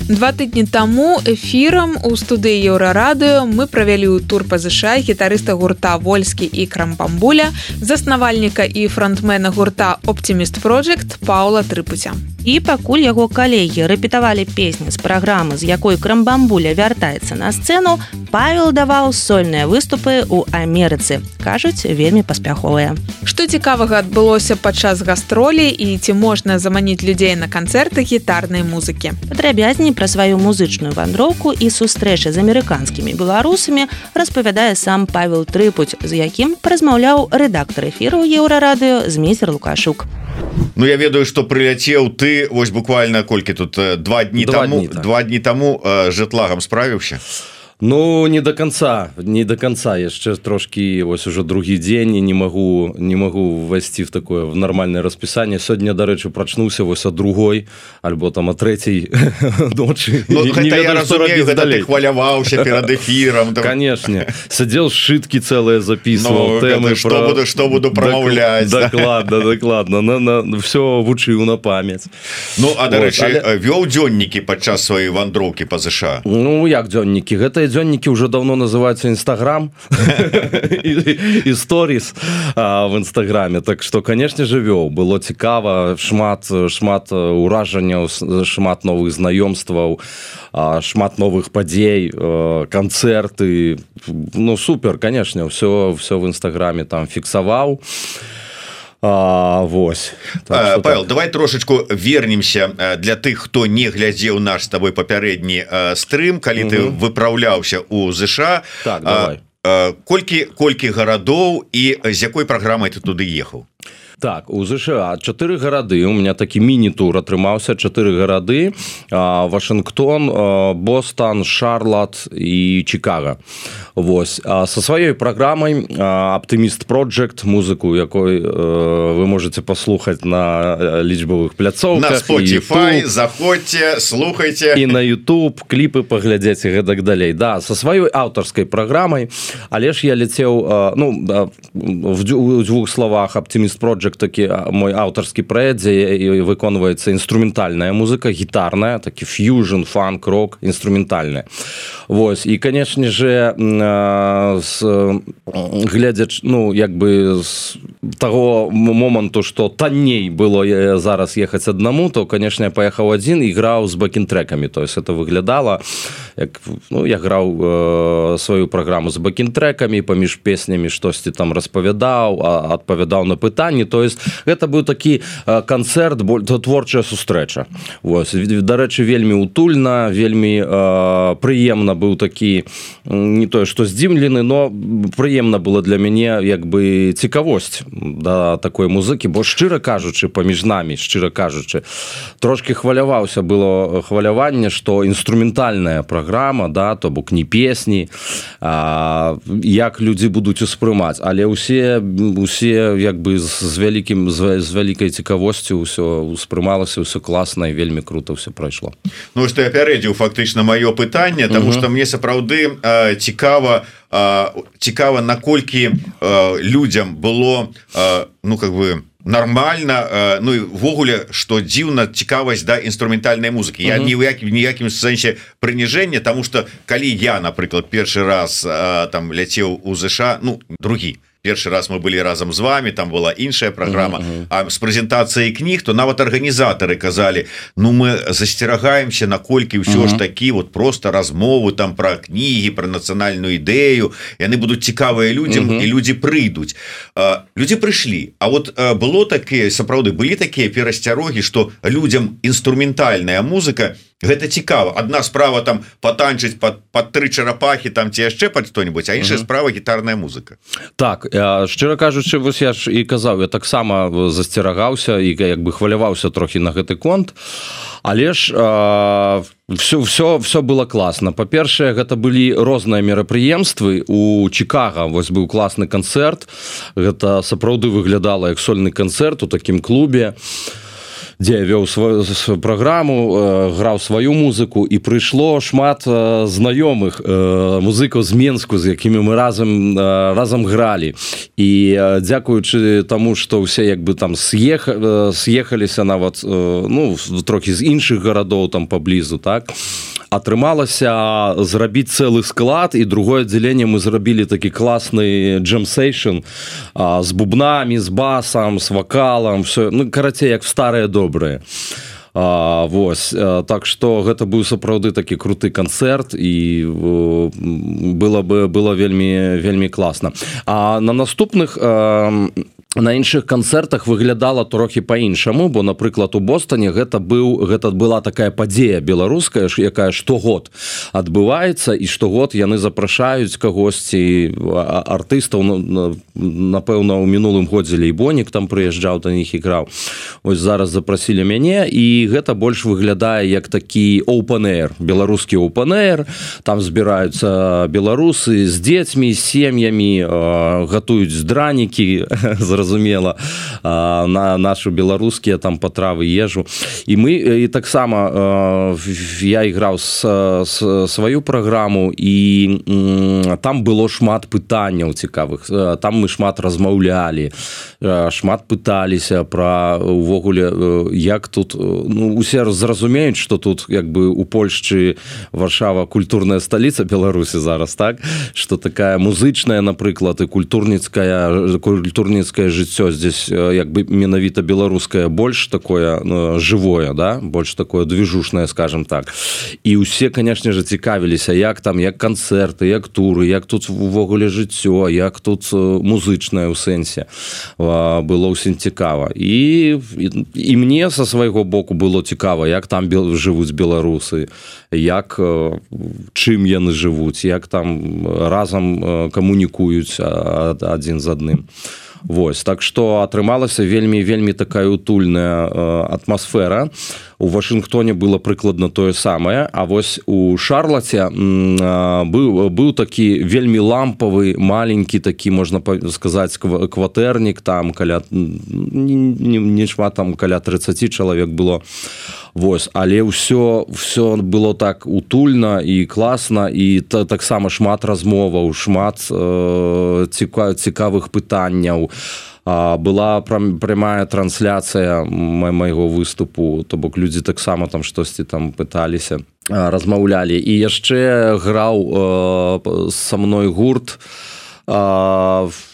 2 тыдні таму эфірам у студыі Еўрарадыё мы правялі ў тур па ЗША гітарыста гурта «Вольскі» і «Крамбамбуля», заснавальніка і фронтмена гурта «Optimist Project» Паўла Трыпуця. І пакуль яго калегі рэпетавалі песні з праграмы, з якой «Крамбамбуля» вяртаецца на сцэну, Павел даваў сольныя выступы ў Амерыцы. Кажуць, вельмі паспяховыя. Што цікавага адбылося падчас гастролей і ці можна заманіць людзей на канцэрты гітарнай музыкі? Падрабязней пра сваю музычную вандроўку і сустрэчы з амерыканскімі беларусамі распавядае сам Павел Трыпуць, з якім паразмаўляў рэдактар эфіру Еўрарадыё Змейстер Лукашук. Ну, я ведаю, што прыляцеў ты, вось буквально колькі тут, 2 дні таму жэтлагам справіўся? Ну, не до конца, яшчэ трошки, вось уже другі дзень, і не могу ввайсці в такое в нормальное распісанне. Сёння, дарэчы, прачнуўся вось ад другой, альбо там ад трэцяй ночы. Ну, гэта я разумею, гэта ты хваляваўся перад эфірам. Конечно, сядзеў сшыткі цэлыя записываў, тэмы пра... Што буду прамаўляць. Дакладна, всё вучыў на памяць. Ну, а дарэчы, вёў дзённікі падчас сваёй вандроўкі па ЗША? Ну, як дзённікі? Гэта дзённікі уже давно называются Инстаграм и сторис в Инстаграме, так что, конечно же, вёў. Было цікава, шмат уражанняў, шмат новых знаёмстваў, шмат новых падзей, канцэрты. Ну, супер, конечно, все в Инстаграме там фіксаваў. Вось. Павел, давай трошечку вернемся для тых, хто не глядзеў наш з табой папярэдні стрым, калі ты выпраўляўся ў ЗША. Так, давай. Колькі гарадоў і з якой праграмай ты туды ехаў? Так, у ЗША 4 гарады, у меня такі міні-тур атрымаўся, 4 гарады, Вашингтон, Бостон, Шарлот і Чикаго. Вось. Со сваёй праграмай Optimist Project, музыку якой вы можете паслухаць на лічбавых пляцоўках. На Spotify, заходзьце, слухайце. І на YouTube, кліпы паглядзець і гэтак далей. Да, со сваёй аўтарскай праграмай, але ж я ляцеў, ну, в 2 словах Optimist Project такі мой аўтарскі праект, дзе выконваецца інструментальная музыка, гітарная, такі фьюжн, фанк, рок, інструментальная. Вось, і, конечно же, глядзяч, ну, як бы з таго моманту, што танней было зараз ехаць аднаму, то, конечно, я паехаў адзін і граў з бэкін-трэкамі, то есть это выглядала, як, ну, я граў сваю праграму з бэкін-трэкамі, паміж песнямі штосьці там распавядаў, адпавядаў на пытанні, то есть гэта быў такі канцэрт, творчая сустрэча. Вось, дарэчы, вельмі утульна, вельмі прыемна быў такі, не тое, што здзіўлены, но прыемна было для мяне як бы цікавосць да такой музыкі, бо шчыра кажучы, паміж намі, шчыра кажучы, трошки хваляваўся, было хваляванне, што інструментальная праграма, да, то бок не песні, як людзі будуць успрымаць, але усе як бы з вялікай цікавосцю ўсё успрымалася, ўсё класна і вельмі круто ўсё прайшло. Ну, што я пярэдзіў фактычна маё пытанне, таму што мне сапраўды цікава, наколькі людзям было, ну, как бы, нормально, ну, і ввогуле, што дзіўна цікавасць да інструментальнай музыкі. Я ні ў ніякім сэнсе прыніжэння, таму што калі я, напрыклад, першы раз там ляцеў у ЗША, ну, другі, першы раз мы былі разам з вами, там была іншая праграма, а з прэзентацыяй кніг, то нават арганізатары казалі, ну, мы засцерагаемся, наколькі ўсё ж такі вот просто размовы там пра кнігі, пра нацыянальную ідэю, яны будуць цікавыя людзям, і людзі прыйдуць. Людзі прыйшлі, а вот было такія, сапраўды, былі такія перасцярогі, што людзям інструментальная музыка гэта цікава. Адна справа там патанчыць пад 3 чарапахі там ці яшчэ пад што-нибудь, а іншая справа гітарная музыка. Так, шчыра кажучы, вось я ж і казаў, я таксама засцерагаўся і як бы хваляваўся трохі на гэты конт, але ж все было класна. Па-першае, гэта былі розныя мерапрыемствы. У Чикаго вось быў класны канцэрт, гэта сапраўды выглядала як сольны канцэрт у такім клубе. дзе вёў сваю праграму, граў сваю музыку, і прыйшло шмат знаёмых музыкаў з Менску, з якімі мы разам гралі. І дзякуючы таму, што ўсе як бы там съехаліся нават, ну, трохі з іншых гарадоў там паблізу, так, атрымалася зрабіць цэлы склад, і другое аддзяленне мы зрабілі такі класны джем-сейшн з бубнамі, з басам, з вакалам, все, ну, карацей, як в старыя добрыя. Вось, так што гэта быў сапраўды такі круты канцэрт, і было вельмі класна. А на наступных на іншых канцэртах выглядала трохі па-іншаму, бо, напрыклад, у Бостоне гэта была такая падзея беларуская, якая штогод адбываецца, і штогод яны запрашаюць кагосьці, артыстаў, напэўна, у мінулым годзе Лейбонік там прыязджаў, да них іграў. Ось зараз запрасілі мяне, і гэта больш выглядае як такі open-air, беларускі open-air, там збіраюцца беларусы з дзецьмі, з сем'ямі, гатуюць дранікі, зразумела, на нашу беларускія там патравы, ежу. І мы, і таксама я іграў сваю праграму, і там было шмат пытанняў цікавых. Там мы шмат размаўлялі, шмат пыталіся пра увогуле, як тут, ну, усе зразумеюць, што тут як бы у Польшчы Варшава культурная сталіца Беларусі зараз, так? Што такая музычная, напрыклад, і культурніцкая жыццё здесь як бы менавіта беларускае больш такое живое, да, больш такое движушнае, скажем так. І ўсе, конечно же, цікавіліся, як там, як канцэрты, як туры, як тут увогуле жыццё, як тут музычнае ў сэнсе. Было ўсім цікава. І мне са свайго боку было цікава, як там жывуць беларусы, як, чым яны жывуць, як там разам камунікуюць адзін з адным. Вось, так што атрымалася вельмі такая утульная атмасфера. У Вашынгтоне было прыкладна тое самае, а вось у Шарлаце быў такі вельмі лампавы, маленькі такі, можна сказаць, кватэрнік, там каля, не шмат, там каля 30 чалавек было. Вось, але ўсё было так утульна і класна, і таксама шмат размоваў, шмат цікавых пытанняў. Была прямая трансляцыя майго выступу, то бок людзі таксама там штосьці там пыталіся, размаўлялі. І яшчэ граў са мной гурт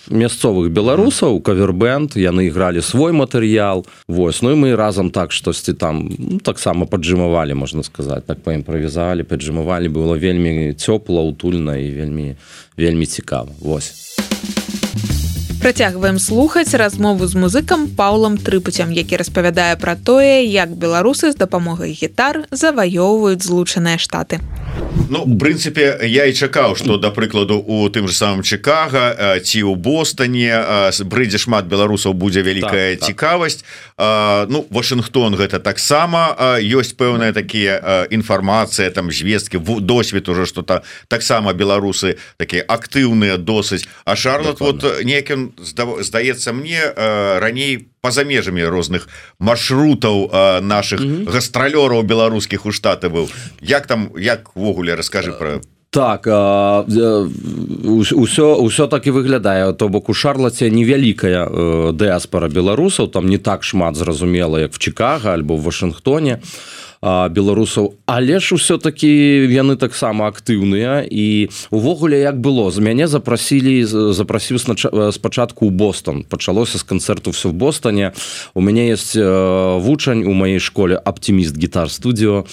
мясцовых беларусаў, кавербэнд, яны ігралі свой матэрыял. Вось, ну і мы разам так штосьці там таксама паджымавалі, можна сказаць, так паімправізавалі, паджымавалі, было вельмі цёпла, утульна і вельмі цікава. Вось. Працягваем слухаць размову з музыкам Паўлам Трыпуцем, які распавядае пра тое, як беларусы з дапамогай гітар заваёўваюць Злучаныя Штаты. Ну, в прынцыпе, я і чакаў, што, да прыкладу, у тым же самым Чикаго ці ў Бостоне брыдзе шмат беларусаў будзе вялікая цікавасць. Ну, Вашынгтон гэта таксама ёсць пэўная такія інфармацыя, там звесткі, досвед уже, што таксама беларусы такія актыўныя досыць. А Шарлот, вот некім, здаецца мне, раней па-за межамі розных маршрутаў наших гастралёраў беларускіх у Штаты быў. Як там, як ввогуле, раскажы пра... Так, усё так і выглядае, то бок у Шарлаце невялікая дыаспара беларусаў, там не так шмат, зразумела, як в Чикаго альбо в Вашынгтоне беларусаў, але ж усё-таки яны таксама актыўныя. І увогуле як было, з мяне запрасіў спачатку ў Бостон, пачалося з канцэрту все в Бостоне. У мяне есть вучань у маёй школе Оптимист Гитар Студио.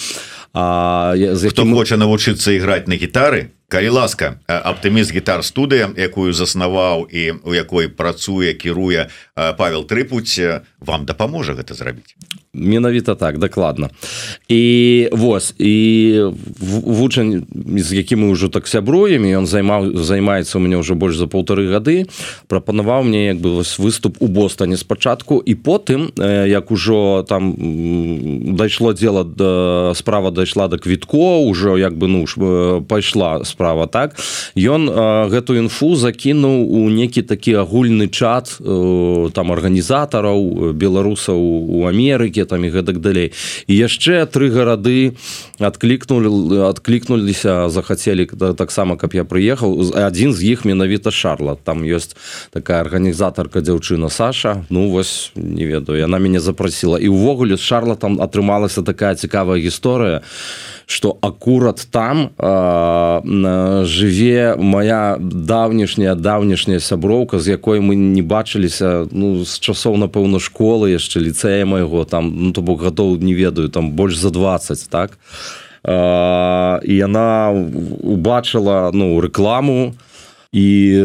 Хто хоча навучыцца іграць на гітары, калі ласка, Оптимист Гитар Студыя, якую заснаваў і у якой працуе, кіруе Павел Трыпуць, вам дапаможа гэта зрабіць. Менавіта так, дакладна. І вось, і вучань, з якім мы ўжо так сябруем, і ён займаецца у мяне ўжо больш за 1,5 гады, прапанаваў мне як бы выступ у Бостоне спачатку, і потым, як ужо там дайшло дело, справа дайшла да квіткоў, ужо як бы, ну, пайшла справа, так, ён гэту інфу закінуў у некі такі агульны чат там арганізатараў беларусаў у Амерыкі, Хельсінкі там і гэтак далей. І яшчэ 3 гарады адклікнуліся, захацелі таксама, каб я прыехаў. Адзін з іх менавіта Шарлат. Там ёсць такая арганізатарка дзяўчына Саша. Ну вось, не ведаю, яна мяне запрасіла. І ўвогуле з Шарлатам атрымалася такая цікавая гісторыя, што акурат там жыве моя давнішняя сяброўка, з якой мы не бачыліся з часоў, напэўна, школы, яшчэ ліцэя майго, там, то бок гадоў, не ведаю, там больш за 20, так? І яна убачыла рэкламу і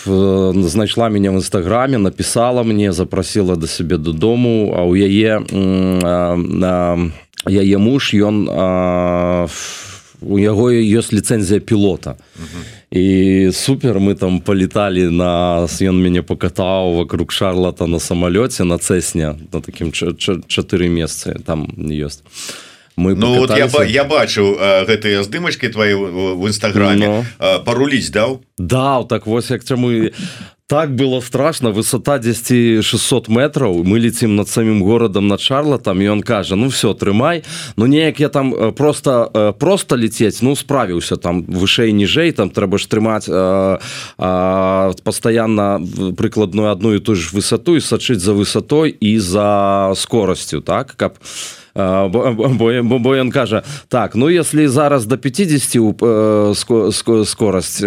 знайшла мяне в інстаграме, напісала мне, запрасіла да сябе дадому, а ў яе муж, у яго ёсць ліцэнзія пілота. І супер, мы там палеталі, ён мяне пакатаў вокруг Шарлата на самалёце, на Цэсне, на такім 4 месцы там ёсць. Ну вот я бачыў гэтыя здымачкі твои в інстаграме. Паруліць даў? Даў, так вось як чаму... Так было страшно, высота 10 600 метров, мы летим над самим городом, над Шарлатом, и он кажа, ну все, трымай, ну неяк я там просто лететь, ну справился, там вышэй, ніжэй, там трэба ж трымаць постоянно прыкладную одну и ту же высоту и сачыць за высотой и за скоростью, так, каб... Бо ён кажа, так, ну если зараз до 50 скорость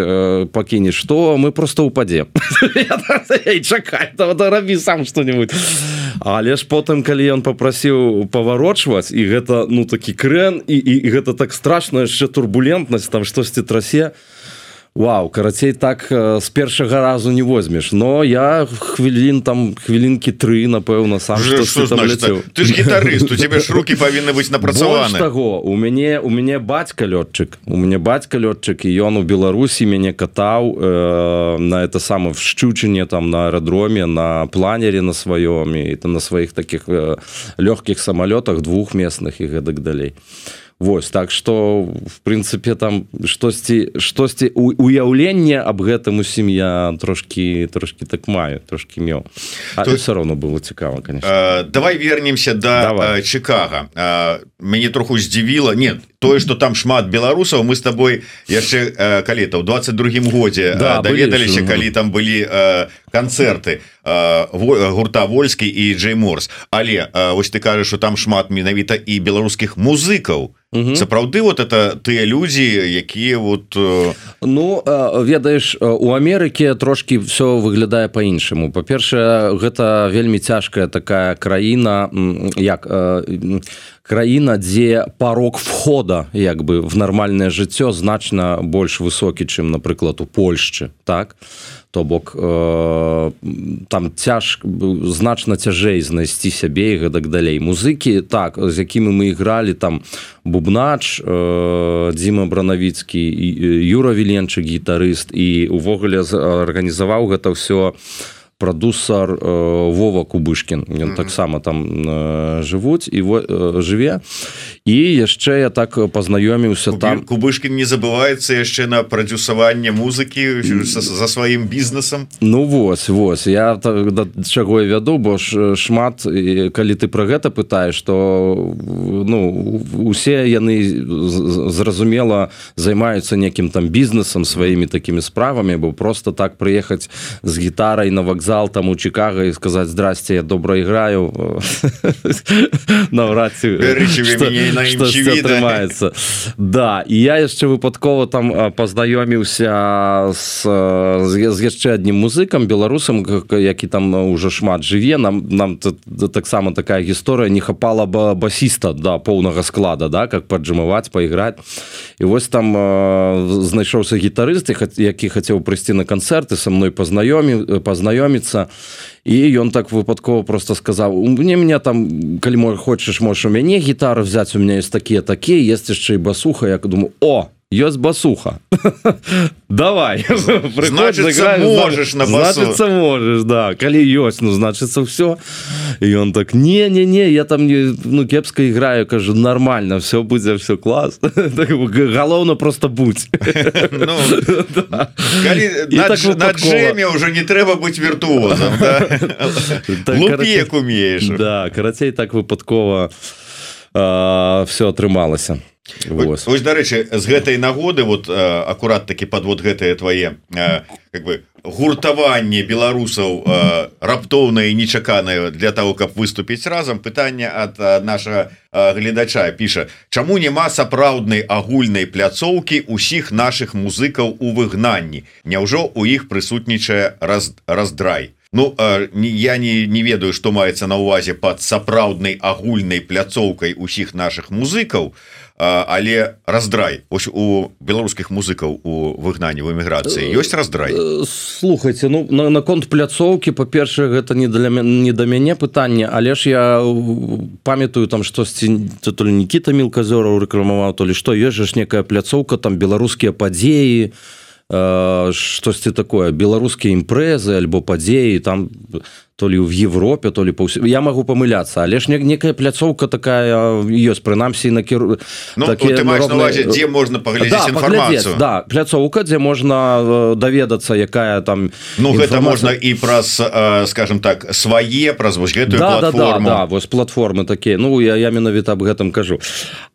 пакінеш, то мы просто упадем. Эй, чакай, рабі сам что-нибудь. Але ж потым, калі ён папрасіў паварочваць, і гэта, ну, такі крэн, і гэта так страшна, яшчэ турбулентнасць, там штосьці трасе, вау, карацей, так з першага разу не возьмеш. Но я хвілінкі 3, напэўна, сам штосьці там ляцеў. Ты ж гітарыст, у тебе ж рукі павінны быць напрацаваны. Больш таго, у мяне бацька лётчык. І ён у Беларусі мяне катаў на это самое в Шчучине, там на аэродроме, на планере на сваём, і там на сваіх такіх лёгкіх самалётах, двухместных і гэтак далей. Вось, так што, в прынцыпе, там штосьці уяўленне аб гэтым усім я трошкі так маю, трошкі меў. Але ўсё роўно было цікава, конечно. Давай вернемся да Чикаго. Мяне троху здзівіла, нет, тое, што там шмат беларусаў, мы з табой яшчэ калі-то ў 22-м годзе даведаліся, калі там былі канцэрты гурта Вольскі і Джей Морс. Але вось ты кажаш, што там шмат менавіта і беларускіх музыкаў. Сапраўды вот это тыя людзі, якія вот... Ну, ведаеш, у Амерыкі трошкі все выглядае по-іншаму. Па-першае, гэта вельмі цяжкая такая краіна, краіна, дзе парог входа як бы в нармальнае жыццё значна больш высокі, чым, напрыклад, у Польшчы, так? То бок там значна цяжэй знайсці сябе і гэтак далей. Музыкі, так, з якімі мы ігралі, там бубнач Дзіма Бранавіцкі, Юра Віленчык, гітарыст, і увогуле арганізаваў гэта ўсё прадусар Вова Кубышкін. Ён таксама там жыве. І яшчэ я так пазнаёміўся там. Кубышкін не забываецца яшчэ на прадюсаванне музыкі за сваім бізнесам. Ну вось, я да чаго я вяду, бо ж шмат, калі ты пра гэта пытаеш, то усе яны зразумела займаюцца некім там бізнесам, сваімі такімі справамі, бо просто так прыехаць з гітарай на вакзал там у Чикаго и сказать: здрасте, я добро играю, навряд ці штосьці атрымаецца. Да, і я яшчэ выпадкова там пазнаёміўся з яшчэ аднім музыкам, беларусам, які там уже шмат жыве. Нам таксама такая гісторыя, не хапала басіста да поўнага склада, да, как паджымаваць, пайграць. І вось там знайшоўся гітарыст, які хацеў прыйсці на канцэрт і са мной пазнаёміцца. І ён так выпадкова просто сказаў: мне там, калі хочаш, можаш у мяне гітару взяць, у меня есть такія, есть яшчэ і басуха. Я думаю, ёсць басуха. Давай. Значыцца, можаш на басу. Значыцца, можаш, да. Калі ёсць, ну, значыцца, ўсё. І ён так, не, я там кепска іграю, кажу, нормально, все будзе, все клас. Галоўна просто будь. На джеме ўжо не трэба быць віртуозам. Лупі, як умееш. Да, карацей, так выпадкова все атрымалася. Вось, дарэчы, з гэтай нагоды вот акурат такі падвод гэтае твае как бы гуртаванне беларусаў раптоўнае і нечаканае для того, каб выступіць разам. Пытанне ад нашага гледача піша: чаму няма сапраўднай агульнай пляцоўкі ўсіх нашых музыкаў у выгнанні? Няўжо у іх прысутнічае раздрай? Ну, я не ведаю, што маецца на ўвазе пад сапраўднай агульнай пляцоўкай усіх нашых музыкаў, але раздрай. Ось у беларускіх музыкаў у выгнанні, в эміграцыі ёсць раздрай? Слухайце, ну, наконт пляцоўкі, па-першае, гэта не да мяне пытанне, але ж я памятаю там штосьці, то ли Нікіта Мілказёраў рэкламаваў, то ли што, ёсць ж некая пляцоўка, там беларускія падзеі, штосьці такое, беларускія імпрэзы альбо падзеі, там то ли в Европе, то ли я могу помыляться, але ж некая пляцоўка такая ёсць, прынамсі накіру. Ну, ты маеш на увазе, дзе можна паглядзець інфармацыю? Да, пляцоўка, дзе можна даведацца, якая там. Ну, гэта можна і праз, скажем так, свае, праз вось гэтую платформу. Да, вось платформы такія. Ну, я менавіта аб гэтым кажу.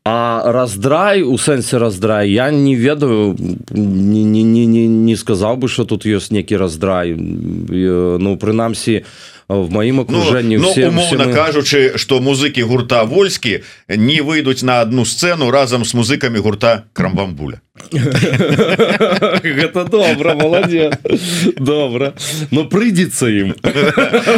А раздрай, у сэнсе раздрай, я не ведаю, не сказаў бы, што тут ёсць некі раздрай. Ну, прынамсі, в маім акружэнні умоўна кажучы, што музыкі гурта Вольскі не выйдуць на одну сцэну разам з музыкамі гурта Крамбамбуля. Гэта добра, маладзец. Добра. Ну, прыйдзецца ім.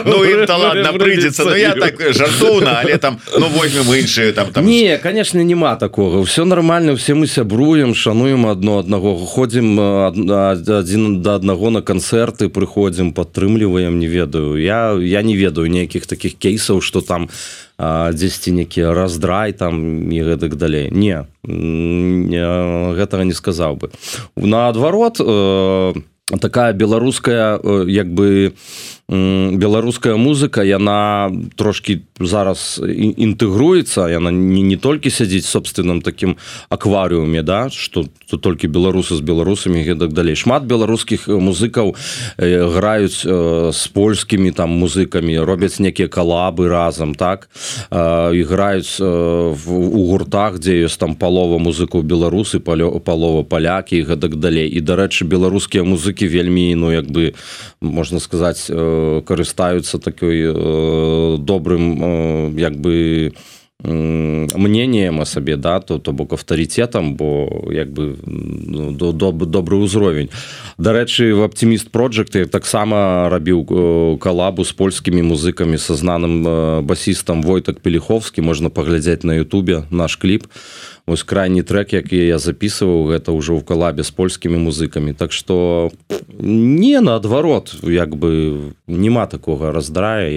Ну, ім-то ладно, прыйдзецца. Ну, я так жартоўна, але там, ну, возьмем іншыя там. Не, конечно, нема такога. Все нормально, все мы сябруем, шануем аднаго. Ходзім адзін да аднаго на канцэрты, прыходзім, падтрымліваем, не ведаю. Я не ведаю ніякіх такіх кейсаў, што там дзесьці некі раздрай там і гэтак далей. Не, гэтага не сказаў бы. Наадварот, такая беларуская, як бы, беларуская музыка, яна трошки зараз інтэгруецца, яна не толькі сядзіць собственным таким акварыуме, да, што толькі беларусы з беларусамі і так далей. Шмат беларускіх музыкаў граюць з польскімі там музыкамі, робяць некія калабы разам, так, іграюць у гуртах, дзе ёсць там палова музыкаў беларусы, палова палякі і гэтак далей. І, дарэчы, беларускія музыкі вельмі, ну, як бы, можна сказаць, карыстаюцца такой добрым, як бы, мнением о сабе, да, то бок авторитетом, бо як бы добрый ўзровень. Дарэчы, в Optimist Project я таксама рабіў калабу з польскімі музыкамі са знаным басістам Войтак Пеліховскі, можна паглядзець на ютубе наш кліп. Вось крайні трек, які я записываў, гэта ўжо ў калабе з польскімі музыкамі. Так што не, наадварот, як бы нема такога раздрая,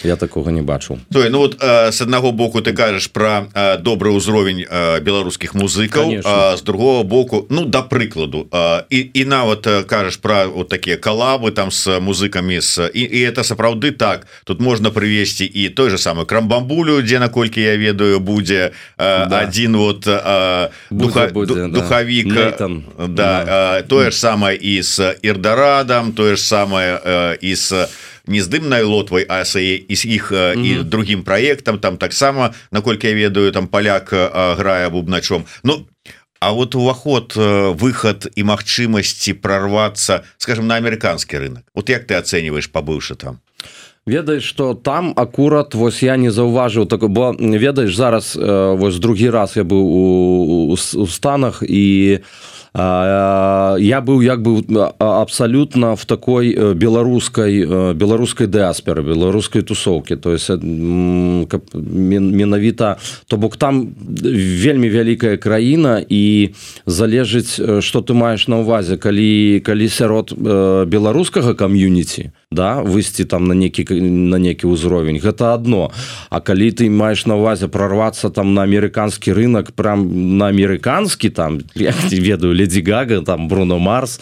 я такога не бачу. Ну вот с аднаго боку ты кажаш пра добры ўзровень беларускіх музыкаў, а з другого боку, ну, да прыкладу, і нават кажаш пра вот такія калабы там з музыкамі, і это сапраўды так. Тут можна прывесці і той же самы Крамбамбулю, дзе, наколькі я ведаю, будзе адзін вот духавік, да, тое ж самае і з Ірдарадам, тое ж самае і з не з дымнай лотвай, а і з іх і другім праектам, там таксама, наколькі я ведаю, там паляк грае бубначом. Ну, а вот уваход, выхад і магчымасці прорвацца, скажем, на амерыканскі рынок. Вот як ты ацэньваеш, пабыўшы там? Ведаеш, што там акурат, вось я не заўважыў, бо ведаеш, зараз вось другі раз я быў у Станах, і я быў як бы абсалютна в такой беларускай дыасперы, беларускай тусоўкі, то есть менавіта, то бок там вельмі вялікая краіна і залежыць, што ты маеш на ўвазе, калі сярод беларускага кам'юніці, да, выйсці там на некі ўзровень, гэта адно, а калі ты маеш на ўвазе прорвацца там на амерыканскі рынок, прям на амерыканскі, там, я не ведаю, Леди Гага, там, Бруно Марс,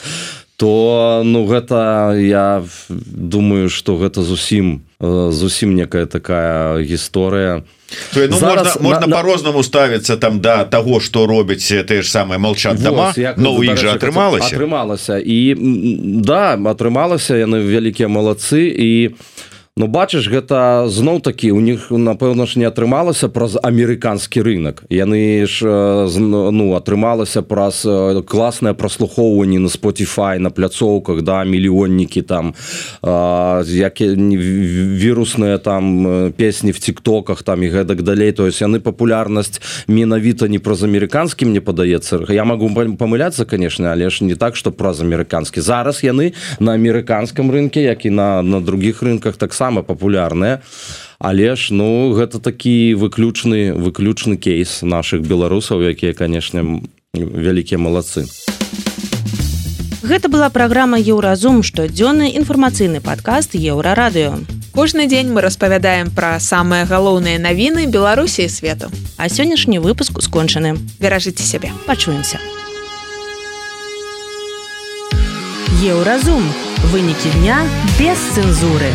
то, ну, гэта, я думаю, што гэта зусім некая такая гісторыя. То, ну, зараз, можна по-рознаму ставіцца там да таго, што робяць тыя ж самыя молчат дома, но у іх жа атрымалася. І, да, атрымалася, яны вялікія малацы, і ну, бачыш, гэта зноў-такі, у них, напэўна ж, не атрымалася праз амерыканскі рынок. Яны ж, ну, атрымалася праз класнае праслухоўванне на Spotify, на пляцоўках, да, мільённікі там, вірусныя там песні в тиктоках там і гэтак далей. То есть яны папулярнасць менавіта не праз амерыканскі, мне падаецца. Я магу памыляцца, конечно, але ж не так, што праз амерыканскі. Зараз яны на амерыканскім рынке, як і на других рынках таксама папулярныя, але ж, ну, гэта такі выключны кейс наших беларусаў, якія, конечно, вялікія малацы. Гэта была праграма «Еўразум», штодзённы інфармацыйны падкаст «Еўрарадыё». Кожны дзень мы распавядаем пра самыя галоўныя навіны Беларусі і свету. А сённяшні выпуск скончаны. Беражыце сябе. Пачуемся. «Еўразум». Вынікі дня без цэнзуры.